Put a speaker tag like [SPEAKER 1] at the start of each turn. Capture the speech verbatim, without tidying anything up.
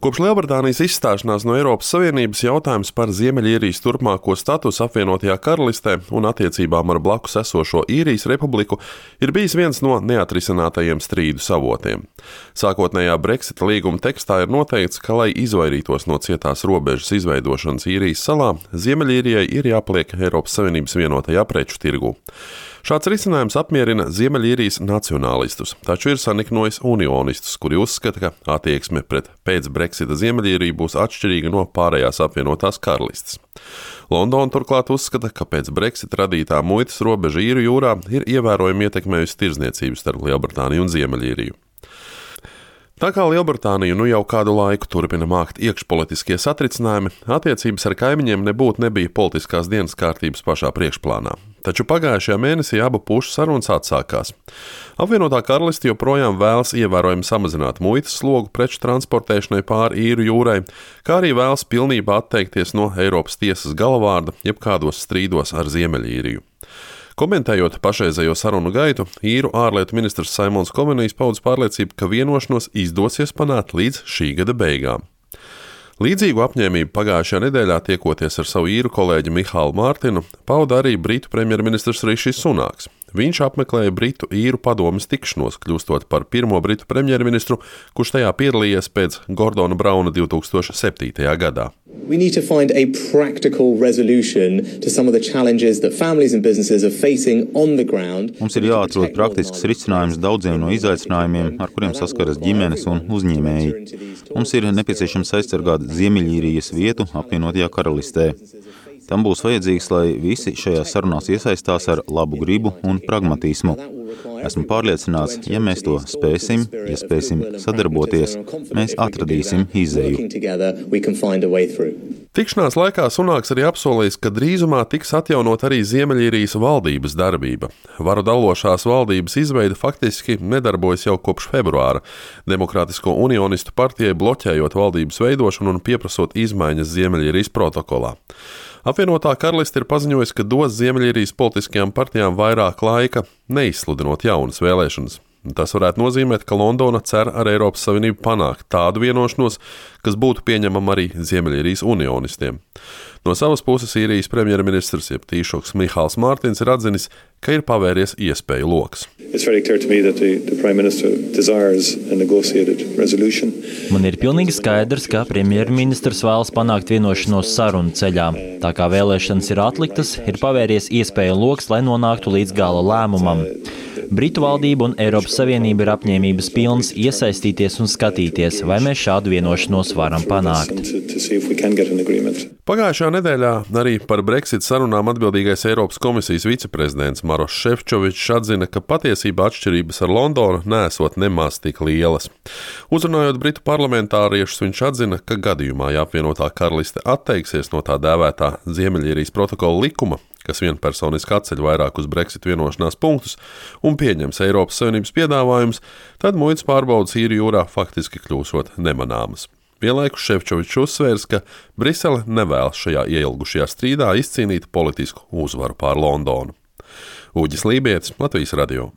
[SPEAKER 1] Kopš Lielbritānijas izstāšanās no Eiropas Savienības jautājums par Ziemeļīrijas turpmāko statusu apvienotajā karalistē un attiecībām ar blakus esošo Īrijas republiku ir bijis viens no neatrisinātajiem strīdu avotiem. Sākotnējā Brexita līguma tekstā ir noteikts, ka, lai izvairītos no cietās robežas izveidošanas Īrijas salā, Ziemeļīrijai ir jāpaliek Eiropas Savienības vienotajā preču tirgū. Šāds risinājums apmierina Ziemeļīrijas nacionālistus, taču ir saniknojis unionistus, kuri uzskata, ka attieksme pret pēc Brexita Ziemeļīriju būs atšķirīga no pārējās apvienotās karalistes. Londona turklāt uzskata, ka pēc Brexita radītā muitas robeža Īru jūrā ir ievērojami ietekmējusi tirdzniecību starp Lielbritāniju un Ziemeļīriju. Tā kā Lielbritāniju nu jau kādu laiku turpina mākt iekšpolitiskie satricinājumi, attiecības ar kaimiņiem nebūtu nebija politiskās dienas kārtības pašā priekšplānā. Taču pagājušajā mēnesī abu pušu sarunas atsākās. Apvienotā karaliste joprojām vēlas ievērojami samazināt muitas slogu preču transportēšanai pāri Īru jūrai, kā arī vēlas pilnībā atteikties no Eiropas tiesas galavārda jebkādos strīdos ar Ziemeļīriju. Komentējot pašreizējo sarunu gaitu, īru ārlietu ministrs Saimons Kovenijs paudis pārliecību, ka vienošanos izdosies panākt līdz šī gada beigām. Līdzīgu apņēmību pagājušajā nedēļā tiekoties ar savu īru kolēģi Mihālu Mārtinu, pauda arī britu premjerministrs Rišijs Sunāks. Viņš apmeklēja Britu īru padomes tikšanos, kļūstot par pirmo britu premjerministru, kurš tajā piedalījies pēc Gordona Brauna divi tūkstoši septītajā gadā.
[SPEAKER 2] We need to find a practical resolution to some of the challenges that families and businesses are facing on the ground.
[SPEAKER 3] Mums ir jāatrod praktisks risinājums daudziem no izaicinājumiem, ar kuriem saskaras ģimenes un uzņēmēji. Mums ir nepieciešams aizsargāt Ziemeļīrijas vietu apvienotajā karalistē. Tam būs vajadzīgs, lai visi šajās sarunās iesaistās ar labu gribu un pragmatismu. Esmu pārliecināts, ja mēs to spēsim, ja spēsim sadarboties, mēs atradīsim izēju.
[SPEAKER 1] Tikšanās laikā Sunāks arī apsolījis, ka drīzumā tiks atjaunot arī Ziemeļīrijas valdības darbība. Varu dalošās valdības izveide faktiski nedarbojas jau kopš februāra, Demokrātisko unionistu partijai bloķējot valdības veidošanu un pieprasot izmaiņas Ziemeļīrijas protokolā. Apvienotā karaliste ir paziņojusi, ka dos Ziemeļīrijas politiskajām partijām vairāk laika, neizsludinot jaunas vēlēšanas. Tas varētu nozīmēt, ka Londona cer ar Eiropas Savienību panākt tādu vienošanos, kas būtu pieņemama arī Ziemeļīrijas unionistiem. No savas puses Īrijas premjerministrs jeb tīšoks Mihāls Mārtins ir atzinis, ka ir pavēries iespēju loks.
[SPEAKER 4] Man ir pilnīgi skaidrs, ka premjerministrs vēlas panākt vienošanos sarunu ceļā. Tā kā vēlēšanas ir atliktas, ir pavēries iespēju loks, lai nonāktu līdz gala lēmumam. Britu valdība un Eiropas Savienība ir apņēmības pilnas iesaistīties un skatīties, vai mēs šādu vienošanos varam panākt.
[SPEAKER 1] Pagājušajā nedēļā arī par Brexit sarunām atbildīgais Eiropas komisijas viceprezidents Maroš Šefčovičs atzina, ka patiesībā atšķirības ar Londonu neesot nemaz tik lielas. Uzrunājot britu parlamentāriešus, viņš atzina, ka gadījumā, ja apvienotā karaliste atteiksies no tā dēvētā Ziemeļīrijas protokola likuma, kas vienpersoniski atceļ vairākus Brexit vienošanās punktus un pieņems Eiropas Savienības piedāvājumus, tad muitas pārbaudes Īru jūrā faktiski kļūsot nemanāmas. Vienlaikus Šefčovičs uzsvērs, ka Brisele nevēlas šajā ieilgušajā strīdā izcīnīt politisku uzvaru pār Londonu. Uģis Lībietis, Latvijas radio.